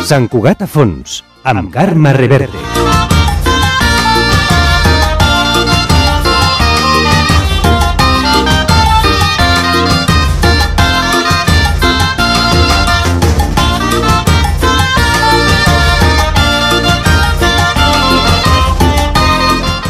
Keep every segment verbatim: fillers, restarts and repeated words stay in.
Sant Cugat a fons, amb Carme Reverte.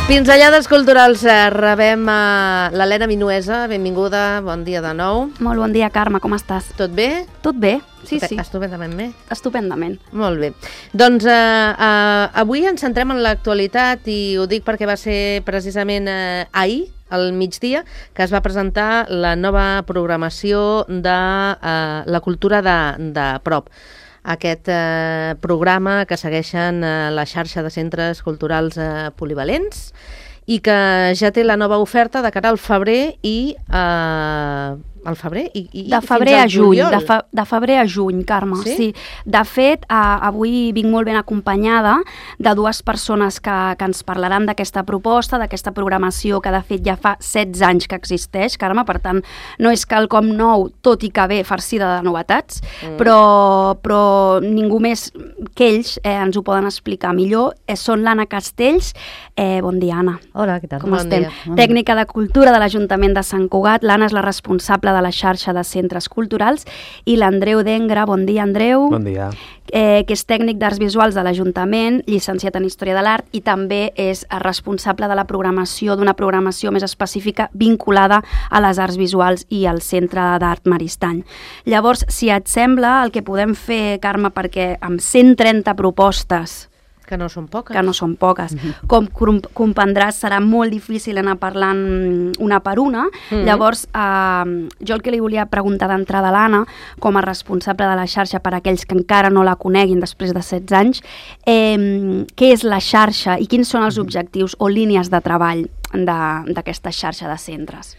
Pinzellades culturals, rebem a l'Helena Minuesa, benvinguda, bon dia de nou. Molt bon dia, Carme, com estàs? Tot bé? Tot bé, sí, sí. Estupendament bé. Estupendament. Molt bé. Doncs eh, eh, avui ens centrem en l'actualitat i ho dic perquè va ser precisament eh, ahir, al migdia, que es va presentar la nova programació de eh, la cultura de, de prop. Aquest eh, programa que segueixen eh, la xarxa de centres culturals eh, polivalents i que ja té la nova oferta de cara al febrer i eh, al febrer i, i de febrer fins al a juny, juliol. de, fe, de febrer a juny, Carme. Sí? Sí. De fet, eh, avui vinc molt ben acompanyada de dues persones que, que ens parlaran d'aquesta proposta, d'aquesta programació que de fet ja fa setze anys que existeix, Carme, per tant no és quelcom nou, tot i que ve farcida de novetats, mm. però, però ningú més que ells eh, ens ho poden explicar millor. Eh, són l'Anna Castells. Eh, bon dia, Anna. Hola, què tal? Com bon estem? Dia. Tècnica de Cultura de l'Ajuntament de Sant Cugat. L'Anna és la responsable de la xarxa de centres culturals, i l'Andreu Dengra. Bon dia, Andreu. Bon dia. Eh, que és tècnic d'Arts Visuals de l'Ajuntament, llicenciat en Història de l'Art, i també és responsable de la programació, d'una programació més específica vinculada a les arts visuals i al Centre d'Art Maristany. Llavors, si et sembla, el que podem fer, Carme, perquè amb cent trenta propostes Que no són poques. que no són poques. Mm-hmm. Com com comprendràs, serà molt difícil anar parlant una per una. Mm-hmm. Llavors, eh, jo el que li volia preguntar d'entrada a l'Anna, com a responsable de la xarxa per a aquells que encara no la coneguin després de setze anys, eh, què és la xarxa i quins són els objectius o línies de treball d'aquesta xarxa de centres?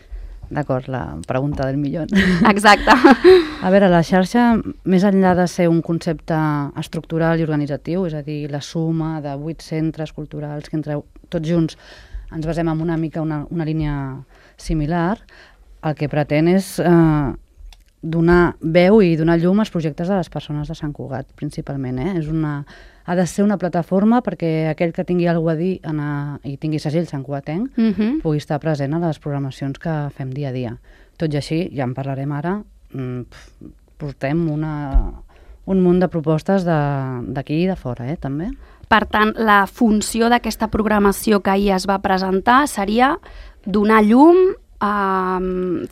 D'acord, la pregunta del milió. Exacte. A veure, la xarxa, més enllà de ser un concepte estructural i organitzatiu, és a dir, la suma de vuit centres culturals que entre tots junts ens basem en una mica una, una línia similar, el que pretén és eh, donar veu i donar llum als projectes de les persones de Sant Cugat, principalment. Eh? És una, ha de ser una plataforma perquè aquell que tingui alguna a dir en a, i tingui segell santcugatenc Mm-hmm. pugui estar present a les programacions que fem dia a dia. Tot i així, ja en parlarem ara, mm, portem una, un munt de propostes d'aquí i de fora, eh, també. Per tant, la funció d'aquesta programació que ahir es va presentar seria donar llum, Um,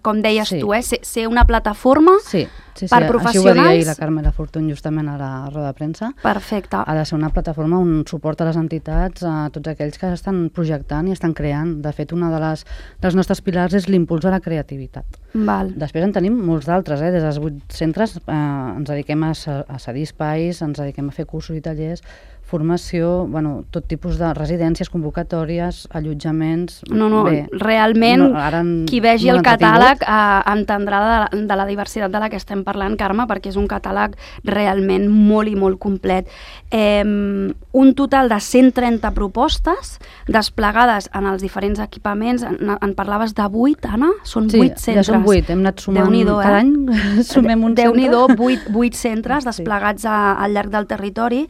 com deies sí. tu, eh? ser, ser una plataforma sí, sí, sí. per Així professionals. ho va dir ahir la Carmela Fortuny justament a la roda de premsa. Perfecte. Ha de ser una plataforma on suporta les entitats, a tots aquells que estan projectant i estan creant. De fet, una de les dels nostres pilars és l'impuls a la creativitat. Val. Després en tenim molts d'altres, eh? Des dels vuit centres eh, ens dediquem a, a cedir espais, ens dediquem a fer cursos i tallers, formació, bueno, tot tipus de residències, convocatòries, allotjaments... No, no, bé, realment, no, ara en, qui vegi no el catàleg eh, entendrà de la, de la diversitat de la que estem parlant, Carme, perquè és un catàleg realment molt i molt complet. Eh, un total de cent trenta propostes desplegades en els diferents equipaments. En, en parlaves de vuit, Anna? Són sí, vuit centres. Ja són vuit, hem anat sumant Déu-n'hi-do, cada eh? any, sumem un Déu-n'hi-do, centre. vuit, vuit centres desplegats a, al llarg del territori.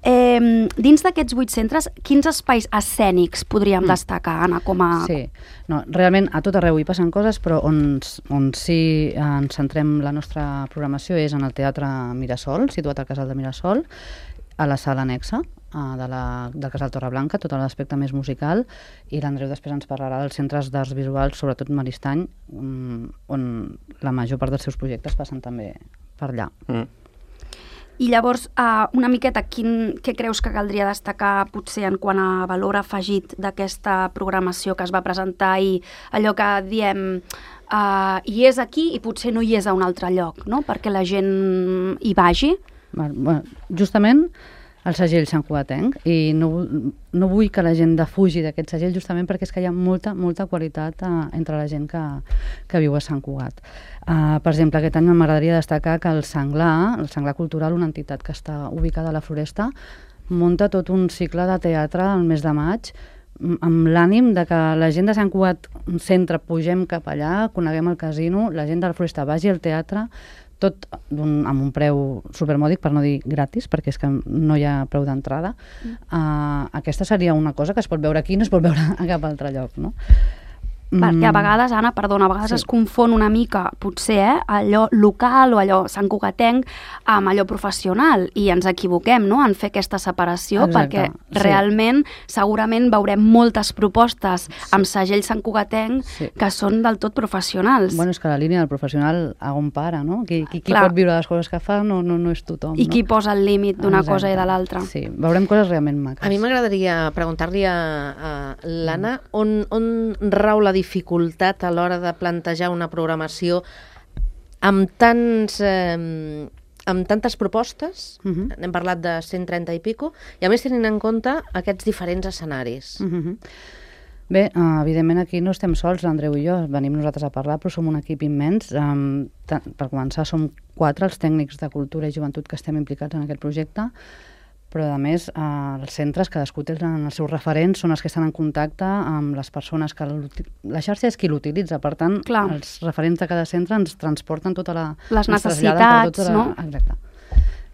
Eh, dins d'aquests vuit centres, quins espais escènics podríem mm. destacar, Anna, com a... Sí, no, realment a tot arreu hi passen coses, però on, on sí ens centrem la nostra programació és en el Teatre Mirasol, situat al Casal de Mirasol, a la sala anexa de la, del Casal Torreblanca, tot l'aspecte més musical, i l'Andreu després ens parlarà dels centres d'arts visuals, sobretot Maristany, on la major part dels seus projectes passen també per allà. Mm. I llavors, uh, una miqueta, quin, què creus que caldria destacar potser en quant a valor afegit d'aquesta programació que es va presentar i allò que diem uh, hi és aquí i potser no hi és a un altre lloc, no? Perquè la gent hi vagi? Bueno, justament el segell santcugatenc, i no, no vull que la gent defugi d'aquest segell justament perquè és que hi ha molta, molta qualitat uh, entre la gent que, que viu a Sant Cugat. Uh, per exemple, aquest any m'agradaria destacar que el Senglar, el Senglar Cultural, una entitat que està ubicada a la Floresta, munta tot un cicle de teatre al mes de maig amb l'ànim de que la gent de Sant Cugat Centre pugem cap allà, coneguem el casino, la gent de la Floresta vagi al teatre, tot un, amb un preu supermòdic, per no dir gratis, perquè és que no hi ha preu d'entrada. Mm. Uh, aquesta seria una cosa que es pot veure aquí, no es pot veure a cap altre lloc, no? Perquè a vegades, Anna, perdona, a vegades sí. es confon una mica, potser, eh, allò local o allò Sant Cugatenc amb allò professional, i ens equivoquem, no?, en fer aquesta separació. Exacte, perquè sí. realment, segurament veurem moltes propostes sí. amb segell Sant Cugatenc sí. que són del tot professionals. Bueno, és que la línia del professional a on para, no? Qui, qui, qui pot viure les coses que fa no, no, no és tothom. I no? qui posa el límit d'una cosa i de l'altra. Sí, veurem coses realment maques. A mi m'agradaria preguntar-li a, a l'Anna on, on rau la dificultat a l'hora de plantejar una programació amb tants eh, amb tantes propostes, uh-huh. n'hem parlat de cent trenta i pico, i a més tenint en compte aquests diferents escenaris. Uh-huh. Bé, uh, evidentment aquí no estem sols, l'Andreu i jo, venim nosaltres a parlar, però som un equip immens. Um, per començar, som quatre els tècnics de cultura i joventut que estem implicats en aquest projecte, però a més eh, els centres, cadascú té els seus referents, són els que estan en contacte amb les persones que... La xarxa és qui l'utilitza, per tant, Clar. els referents de cada centre ens transporten tota la... Les necessitats, tota la... no? Exacte.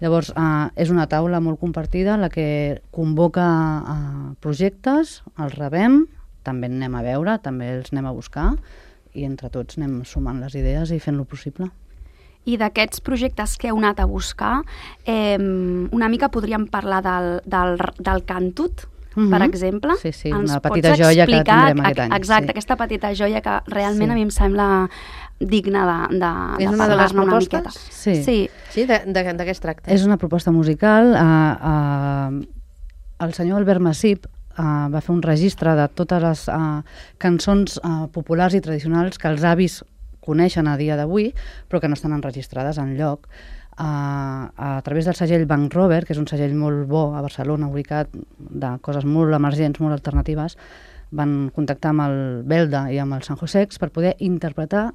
Llavors, eh, és una taula molt compartida, la que convoca eh, projectes, els rebem, també en anem a veure, també els anem a buscar, i entre tots anem sumant les idees i fent-lo possible. I d'aquests projectes que heu anat a buscar, eh, una mica podríem parlar del, del, del Cantut, mm-hmm. per exemple. Sí, sí, Ens una petita joia que tindrem aquest any. Exacte, sí. aquesta petita joia que realment sí. a mi em sembla digna de, de, de parlar-ne una miqueta. Sí, sí. sí de, de, de què es tracta? És una proposta musical. Uh, uh, el senyor Albert Massip uh, va fer un registre de totes les uh, cançons uh, populars i tradicionals que els avis coneixen a dia d'avui, però que no estan enregistrades enlloc. Uh, a través del segell Bank Rover, que és un segell molt bo a Barcelona, ubicat de coses molt emergents, molt alternatives, van contactar amb el Belda i amb el San Josex per poder interpretar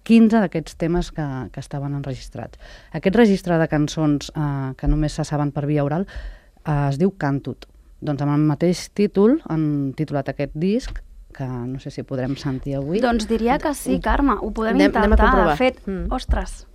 quinze d'aquests temes que, que estaven enregistrats. Aquest registre de cançons uh, que només se saben per via oral uh, es diu Cantut. Doncs amb el mateix títol han titulat aquest disc, que no sé si podrem sentir avui. Doncs diria que sí, Carme, ho podem anem, intentar. Anem de fet, mm. ostres.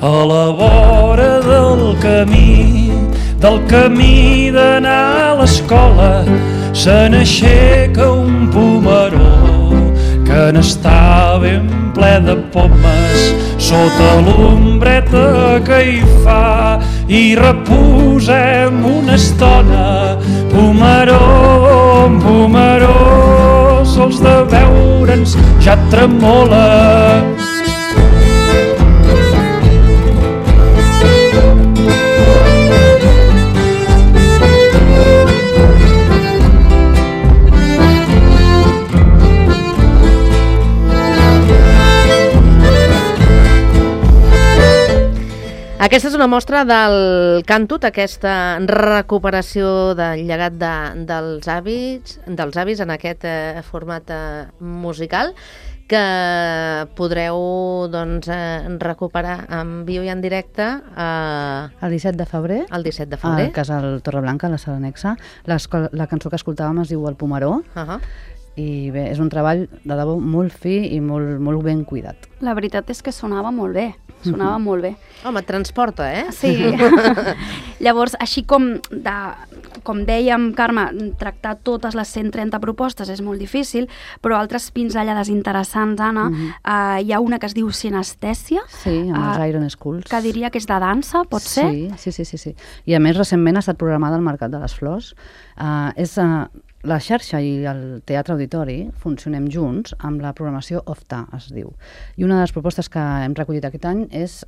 A la vora del camí, del camí d'anar a l'escola, se n'aixeca un pomeró que n'està ben ple de pomes sota l'ombreta que hi fa, i reposem una estona. Pomeró, pomeró, sols de veure'ns ja tremola. Aquesta és una mostra del Cantut, aquesta recuperació del llegat de, dels avis, dels avis en aquest eh, format eh, musical que podreu doncs, eh, recuperar en viu i en directe eh, el disset de febrer, el disset de febrer. a Casal Torreblanca, a la sala anexa. La cançó que escoltàvem es diu El Pomeró. Uh-huh. I bé, és un treball de debò molt fi i molt, molt ben cuidat. La veritat és que sonava molt bé, sonava mm-hmm. molt bé. Home, et transporta, eh? Sí. Llavors, així com, de, com dèiem, Carme, tractar totes les cent trenta propostes és molt difícil, però altres pinzellades interessants, Anna, mm-hmm. uh, hi ha una que es diu Sinestèsia. Sí, amb uh, els Iron Schools. Que diria que és de dansa, pot sí, ser? Sí, sí, sí, sí. I a més, recentment ha estat programada al Mercat de les Flors. Uh, és... Uh, La xarxa i el Teatre Auditori funcionem junts amb la programació O F T A, es diu. I una de les propostes que hem recollit aquest any és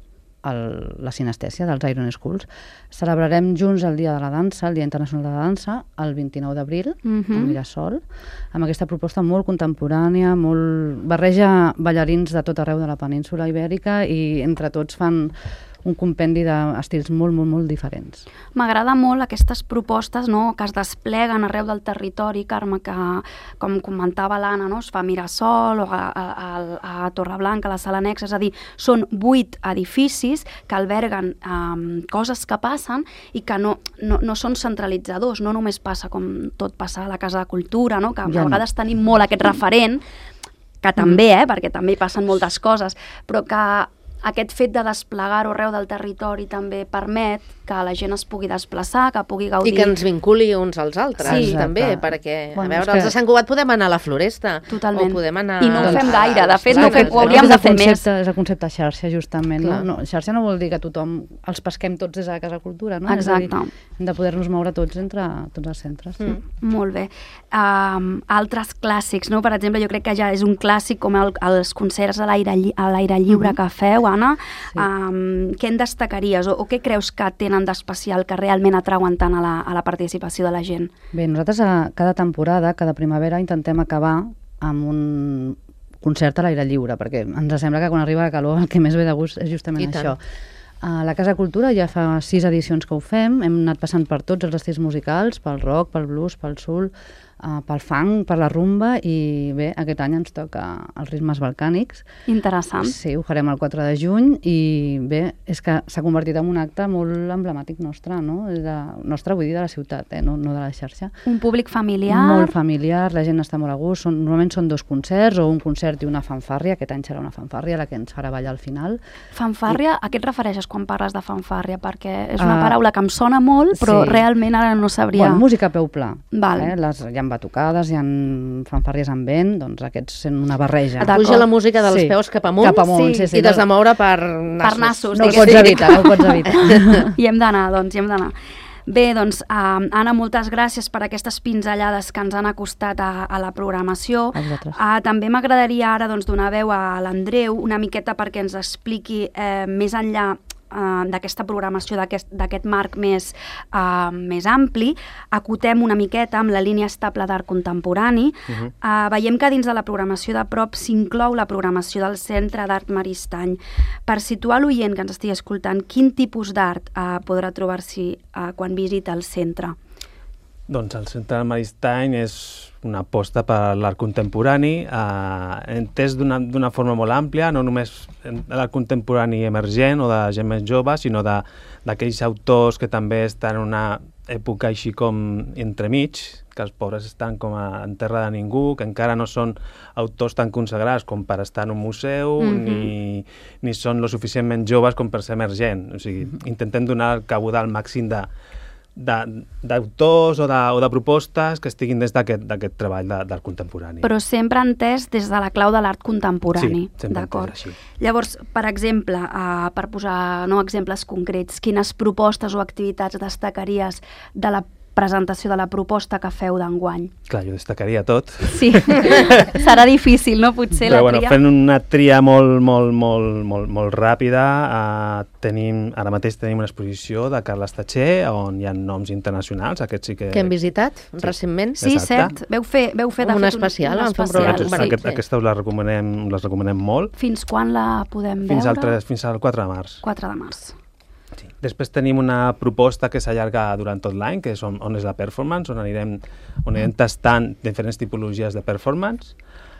el, la sinestèsia dels Iron Schools. Celebrarem junts el Dia de la Dansa, el Dia Internacional de la Dansa, el vint-i-nou d'abril, uh-huh. a Mirasol, amb aquesta proposta molt contemporània, molt barreja ballarins de tot arreu de la península ibèrica i entre tots fan un compendi d'estils molt, molt, molt diferents. M'agrada molt aquestes propostes, no?, que es despleguen arreu del territori, Carme, que, com comentava l'Anna, no?, es fa a Mirasol o a, a, a, a Torreblanca, a la Sala Nexa, és a dir, són vuit edificis que alberguen um, coses que passen i que no, no, no són centralitzadors, no només passa com tot passa a la Casa de Cultura, no?, que ja a vegades no. tenim molt aquest referent, que també, eh, perquè també hi passen moltes coses, però que aquest fet de desplegar-ho arreu del territori també permet que la gent es pugui desplaçar, que pugui gaudir... I que ens vinculi uns als altres, sí, també, perquè, bueno, a veure, que... els de Sant Cugat podem anar a la Floresta. Totalment. O podem anar... I no ho doncs, fem gaire, de fet, no no fem, ho hauríem de fer més. És el concepte xarxa, justament. No? No, xarxa no vol dir que tothom els pesquem tots des de la Casa Cultura, no? Exacte. És a dir, hem de poder-nos moure tots entre tots els centres. Sí. Mm. Molt bé. Um, altres clàssics, no? Per exemple, jo crec que ja és un clàssic com el, els concerts a l'aire lli a l'aire lliure mm -hmm. que feu, Anna. Sí. Um, què en destacaries o, o què creus que tenen d'especial que realment atrauen tant a la, a la participació de la gent? Bé, nosaltres a cada temporada, cada primavera, intentem acabar amb un concert a l'aire lliure, perquè ens sembla que quan arriba la calor el que més ve de gust és justament això. A la Casa Cultura ja fa sis edicions que ho fem, hem anat passant per tots els estils musicals, pel rock, pel blues, pel soul, Uh, pel funk, per la rumba, i bé, aquest any ens toca els ritmes balcànics. Interessant. Sí, ho farem el quatre de juny i bé, és que s'ha convertit en un acte molt emblemàtic nostre, no? De, nostre, vull dir, de la ciutat, eh? no, no de la xarxa. Un públic familiar. Molt familiar, la gent està molt a gust, són, normalment són dos concerts, o un concert i una fanfàrria, aquest any serà una fanfàrria, la que ens farà ballar al final. Fanfàrria, I... a què et refereixes quan parles de fanfàrria? Perquè és una uh, paraula que em sona molt, però sí. realment ara no sabria... Bueno, música a peu pla. Val. Eh? Les, hi ha batucades, hi ha fanfàrries amb vent, doncs aquests són una barreja. Et puja la música dels sí. peus cap amunt, cap amunt sí. Sí, sí, i t'has de moure per nassos. Per nassos, no ho pots evitar, no ho pots evitar. I hem d'anar, doncs, hi hem d'anar. Bé, doncs, uh, Anna, moltes gràcies per aquestes pinzellades que ens han acostat a, a la programació. Uh, també m'agradaria ara doncs, donar veu a l'Andreu una miqueta perquè ens expliqui eh, més enllà Uh, d'aquesta programació, d'aquest marc més, uh, més ampli, acotem una miqueta amb la línia estable d'art contemporani. Uh-huh. uh, veiem que dins de la programació de prop s'inclou la programació del Centre d'Art Maristany. Per situar l'oient que ens estigui escoltant, quin tipus d'art uh, podrà trobar-s'hi uh, quan visita el centre? Doncs el Centre d'Art Maristany és una aposta per l'art contemporani, eh, entès d'una forma molt àmplia, no només l'art contemporani emergent o de gent més jove, sinó d'aquells autors que també estan en una època així com entremig, que els pobres estan com a, en terra de ningú, que encara no són autors tan consagrats com per estar en un museu, mm-hmm. ni, ni són lo suficientment joves com per ser emergent. O sigui, intentem donar el cabudal màxim de d'autors o, de, o de propostes que estiguin des d'aquest treball de, del contemporani. Però sempre entès des de la clau de l'art contemporani. Sí, sempre entès així. Llavors, per exemple, uh, per posar no, exemples concrets, quines propostes o activitats destacaries de la presentació de la proposta que feu d'enguany? Clar, jo destacaria tot. Sí, serà difícil, no? Potser Però, la bueno, tria... fent una tria molt, molt, molt, molt, molt ràpida, uh, tenim, ara mateix tenim una exposició de Carles Tatxer, on hi ha noms internacionals, aquests sí que... Que hem visitat sí. recentment. Sí, exacte. Cert. Veu fer, veu fer de una fet especial, un, un especial. especial. Sí. Aquest, aquesta us la recomanem, les recomanem molt. Fins quan la podem fins veure? Al tres, fins al quatre de març. quatre de març. Sí. Després tenim una proposta que s'allarga durant tot l'any, que és on, on és la performance, on anirem, on anirem tastant diferents tipologies de performance.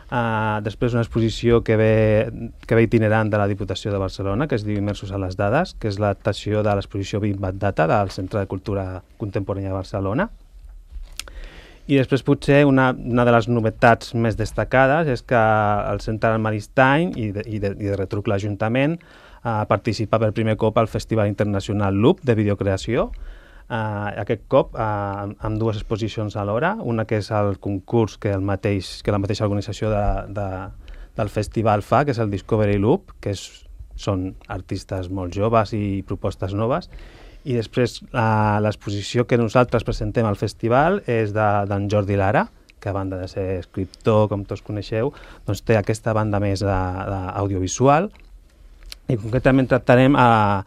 Uh, després una exposició que ve, que ve itinerant de la Diputació de Barcelona, que es diu Immersos a les dades, que és l'adaptació de l'exposició Big Bad Data del Centre de Cultura Contemporània de Barcelona. I després potser una, una de les novetats més destacades és que el Centre Maristany i de, i de, i de retruc l'Ajuntament Uh, participa per primer cop al Festival Internacional Loop de videocreació. Uh, aquest cop uh, amb dues exposicions alhora, una que és el concurs que, el mateix, que la mateixa organització de, de, del festival fa, que és el Discovery Loop, que és, són artistes molt joves i propostes noves, i després uh, l'exposició que nosaltres presentem al festival és d'en Jordi Lara, que a banda de ser escriptor, com tots coneixeu, doncs té aquesta banda més d'audiovisual. I concretament tractarem eh,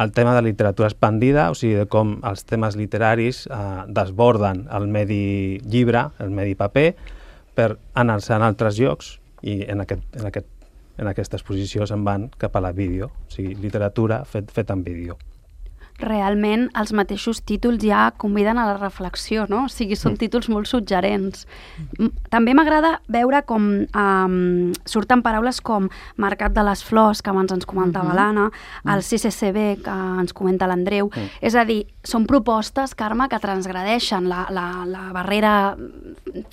el tema de literatura expandida, o sigui, de com els temes literaris eh, desborden el medi llibre, el medi paper, per anar-se en altres llocs, i en aquest, en aquest en aquesta exposició se'n van cap a la vídeo, o sigui, literatura fet, fet en vídeo. Realment els mateixos títols ja conviden a la reflexió, no? O sigui, són títols molt suggerents. També m'agrada veure com um, surten paraules com Mercat de les Flors, que abans ens comentava uh-huh. l'Anna, el C C C B, que ens comenta l'Andreu. Uh-huh. És a dir, són propostes, Carme, que transgredeixen la, la, la barrera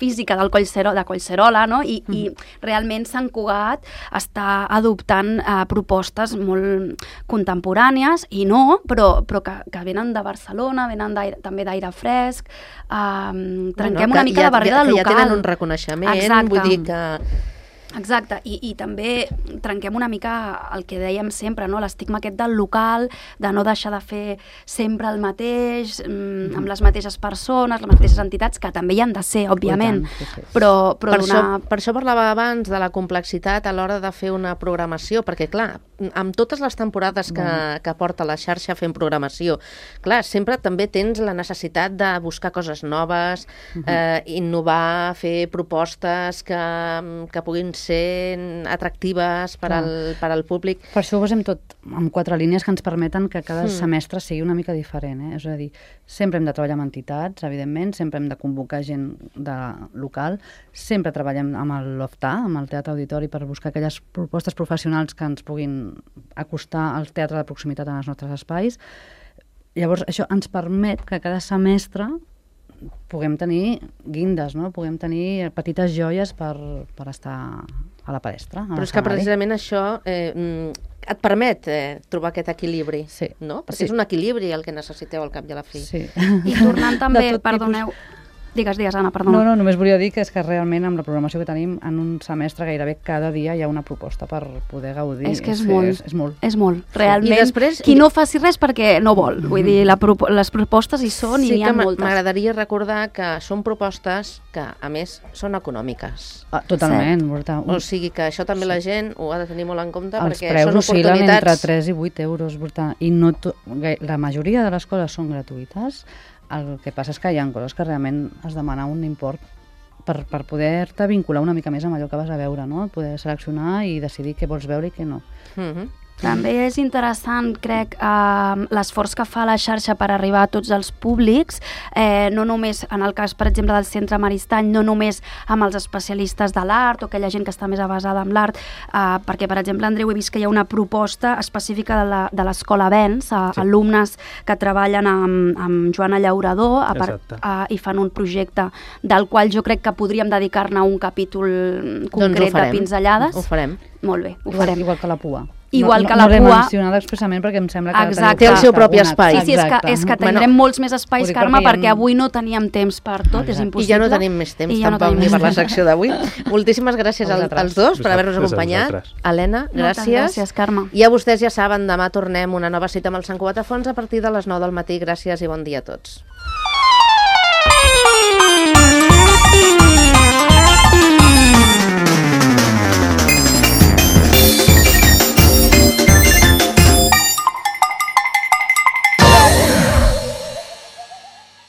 física del Collserola, de Collserola, no? I, uh-huh. i realment Sant Cugat està adoptant uh, propostes molt contemporànies, i no, però però que, que venen de Barcelona, venen també d'aire fresc, um, trenquem bueno, una mica ja, la barrera ja, del local. Que ja tenen un reconeixement, Exacte. vull dir que... Exacte, I, i també trenquem una mica el que dèiem sempre, no? L'estigma aquest del local, de no deixar de fer sempre el mateix, mm, amb les mateixes persones, les mateixes entitats, que també hi han de ser, òbviament, sí, sí. però, però per, donar... això, per això parlava abans de la complexitat a l'hora de fer una programació, perquè clar, amb totes les temporades que, que porta la xarxa fent programació, clar, sempre també tens la necessitat de buscar coses noves, uh-huh. eh, innovar, fer propostes que, que puguin ser atractives per al, per al públic. Per això ho basem tot amb quatre línies que ens permeten que cada mm. semestre sigui una mica diferent. Eh? És a dir, sempre hem de treballar amb entitats, evidentment, sempre hem de convocar gent de local, sempre treballem amb el LOFTA, amb el Teatre Auditori, per buscar aquelles propostes professionals que ens puguin acostar al teatre de proximitat en els nostres espais. Llavors, això ens permet que cada semestre puguem tenir guindes, no? Puguem tenir petites joies per, per estar a la palestra. Però és que precisament això eh, et permet eh, trobar aquest equilibri, sí. no? Perquè sí. és un equilibri el que necessiteu al cap i a la fi. Sí. I tornant també, perdoneu... Tipus... Digues, digues, Anna, perdona. No, no, només volia dir que és que realment amb la programació que tenim en un semestre gairebé cada dia hi ha una proposta per poder gaudir. És que és, és molt, és, és molt. És molt. Realment, I després, qui no faci res perquè no vol. Vull dir, la, les propostes hi són sí i n'hi ha moltes. Sí que m'agradaria recordar que són propostes que, a més, són econòmiques. Ah, totalment. Sí. O sigui que això també la gent ho ha de tenir molt en compte, Els perquè són oportunitats... Els preus oscil·len entre tres i vuit euros, i no to... la majoria de les coses són gratuïtes. El que passa és que hi ha coses que realment es demana un import per, per poder-te vincular una mica més amb allò que vas a veure, no? Poder seleccionar i decidir què vols veure i què no. Mm-hmm. També és interessant, crec, eh, l'esforç que fa la xarxa per arribar a tots els públics, eh, no només, en el cas, per exemple, del Centre Maristany, no només amb els especialistes de l'art o aquella gent que està més avasada amb l'art, eh, perquè, per exemple, Andreu, he vist que hi ha una proposta específica de l'Escola Vents, a sí. alumnes que treballen amb, amb Joana Llaurador a part, a, i fan un projecte del qual jo crec que podríem dedicar-ne un capítol concret doncs de pinzellades. Ho farem. Molt bé, ho igual, farem. Igual que la pua. Igual no, que no, la no l'he pua... mencionat expressament perquè em sembla que... Exacte. Té el seu propi espai. Sí, sí, és que, és que tindrem bueno, molts més espais, Carme, perquè, perquè avui no teníem temps per tot, Exacte. És impossible. I ja no tenim més temps ja tampoc no ni per la secció d'avui. Moltíssimes gràcies al, als dos per haver-nos acompanyat. Helena, gràcies. Gràcies, Carme. I a vostès ja saben, demà tornem una nova cita amb el Sant Cugat a Fons a partir de les nou del matí. Gràcies i bon dia a tots.